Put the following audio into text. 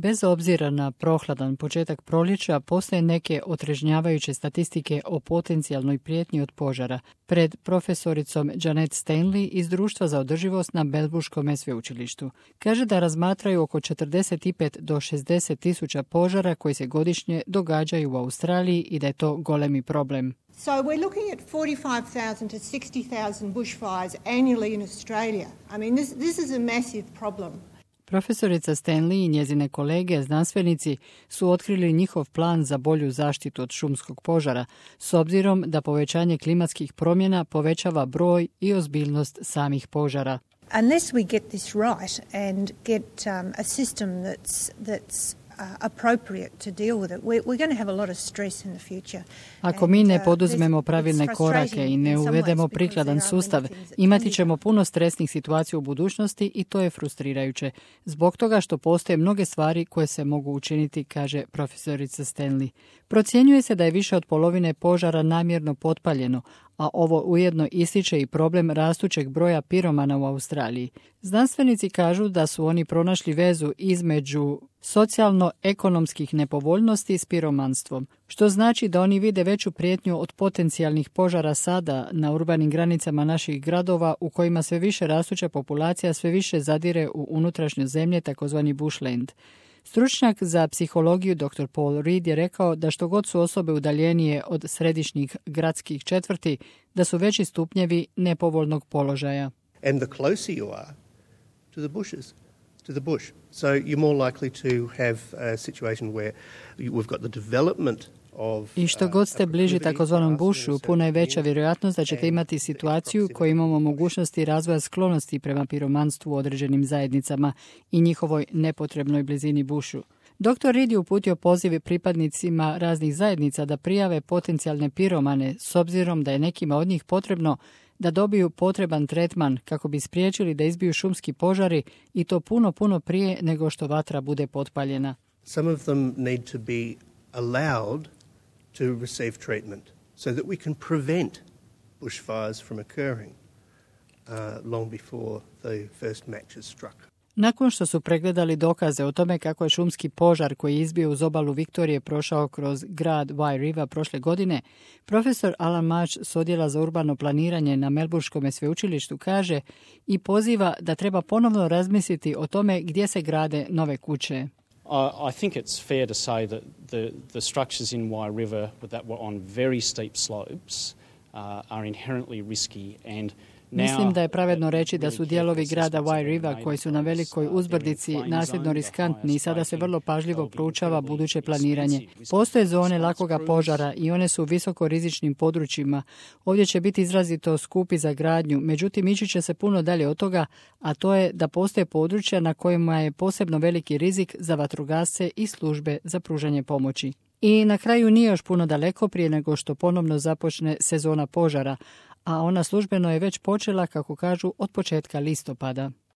Bez obzira na prohladan početak proljeća, postoje neke otrežnjavajuće statistike o potencijalnoj prijetnji od požara. Pred profesoricom Janet Stanley iz Društva za održivost na Melbourneskom sveučilištu. Kaže da razmatraju oko 45 do 60 tisuća požara koji se godišnje događaju u Australiji i da je to golemi problem. So we're looking at 45,000 to 60,000 bushfires annually in Australia. I mean, this is a massive problem. Profesorica Stanley i njezine kolege, znanstvenici, su otkrili njihov plan za bolju zaštitu od šumskog požara, s obzirom da povećanje klimatskih promjena povećava broj i ozbiljnost samih požara. Unless we get this right and get a system that's appropriate to deal with it, we're going to have a lot of stress in the future. Ako mi ne poduzmemo pravilne korake i ne uvedemo prikladan sustav, imati ćemo puno stresnih situacija u budućnosti i to je frustrirajuće. Zbog toga što postoje mnoge stvari koje se mogu učiniti, kaže profesorica Stanley. Procjenjuje se da je više od polovine požara namjerno potpaljeno, a ovo ujedno ističe i problem rastućeg broja piromana u Australiji. Znanstvenici kažu da su oni pronašli vezu između socijalno-ekonomskih nepovoljnosti s piromanstvom, što znači da oni vide veću prijetnju od potencijalnih požara sada na urbanim granicama naših gradova u kojima sve više rastuća populacija sve više zadire u unutrašnje zemlje, takozvani bushland. Stručnjak za psihologiju dr. Paul Reed je rekao da što god su osobe udaljenije od središnjih gradskih četvrti, da su veći stupnjevi nepovoljnog položaja. And the closer you are to the bushes, to the bush. So you're more likely to have a situation where we've got the development. I što god ste bliži takozvanom bušu, puno je veća vjerojatnost da ćete imati situaciju koju imamo mogućnosti razvoja sklonosti prema piromanstvu u određenim zajednicama i njihovoj nepotrebnoj blizini bušu. Dr. Reed je uputio poziv pripadnicima raznih zajednica da prijave potencijalne piromane s obzirom da je nekima od njih potrebno da dobiju potreban tretman kako bi spriječili da izbiju šumski požari i to puno prije nego što vatra bude potpaljena. Some of them need to be allowed to receive treatment so that we can prevent bushfires from occurring long before the first match is struck. Nakon što su pregledali dokaze o tome kako je šumski požar koji je izbio uz obalu Viktorije prošao kroz grad Wye River prošle godine, profesor Alan March s odjela za urbano planiranje na Melbourneskom sveučilištu kaže i poziva da treba ponovno razmisliti o tome gdje se grade nove kuće. I think it's fair to say that the structures in Wye River that were on very steep slopes are inherently risky and Mislim da je pravedno reći da su dijelovi grada Wye River koji su na velikoj uzbrdici nasljedno riskantni i sada se vrlo pažljivo proučava buduće planiranje. Postoje zone lakoga požara i one su u visoko rizičnim područjima. Ovdje će biti izrazito skupi za gradnju, međutim ići će se puno dalje od toga, a to je da postoje područja na kojima je posebno veliki rizik za vatrogasce i službe za pružanje pomoći. I na kraju nije još puno daleko prije nego što ponovno započne sezona požara, a ona službeno je već počela, kako kažu, od početka listopada.